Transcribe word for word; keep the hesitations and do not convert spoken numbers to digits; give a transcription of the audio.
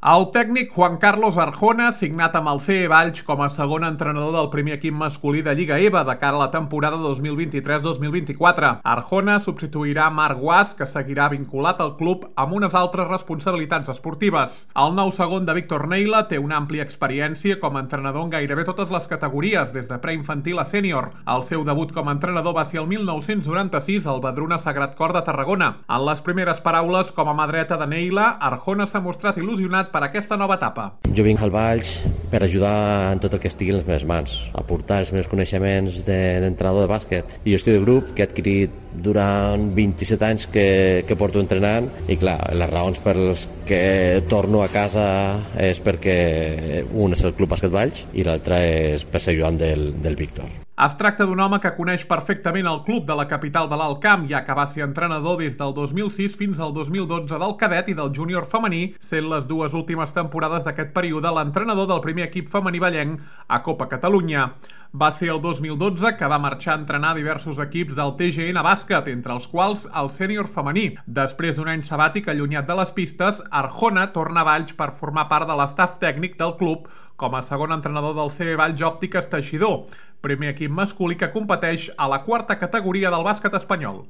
El tècnic Juan Carlos Arjona, signat amb el C E Valls com a segon entrenador del primer equip masculí de Lliga E V A de cara a la temporada dos mil vint-i-tres dos mil vint-i-quatre. Arjona substituirà Marc Guas, que seguirà vinculat al club amb unes altres responsabilitats esportives. El nou segon de Víctor Neila té una àmplia experiència com a entrenador en gairebé totes les categories, des de preinfantil a sènior. El seu debut com a entrenador va ser el mil nou-cents noranta-sis al Vedruna Sagrat Cor de Tarragona. En les primeres paraules com a mà dreta de Neila, Arjona s'ha mostrat il·lusionat per aquesta nova etapa. Jo vinc al Valls per ajudar en tot el que estigui a les meves mans, aportar els meus coneixements d'entrenador de, de bàsquet i gestió de grup que he adquirit durant vint-i-set anys que, que porto entrenant, i clar, les raons per les que torno a casa és perquè un és el Club Bàsquet Valls i l'altre és per ser ajudant del, del Víctor. Es tracta d'un home que coneix perfectament el club de la capital de l'Alt Camp, ja que va ser entrenador des del dos mil sis fins al dos mil dotze del cadet i del júnior femení, sent les dues últimes temporades d'aquest període l'entrenador del primer equip femení vallenc a Copa Catalunya. Va ser el dos mil dotze que va marxar a entrenar diversos equips del T G N Bàsquet, entre els quals el sènior femení. Després d'un any sabàtic allunyat de les pistes, Arjona torna a Valls per formar part de l'estaf tècnic del club com a segon entrenador del C E Valls Òptiques Teixidor, primer equip masculí que competeix a la quarta categoria del bàsquet espanyol.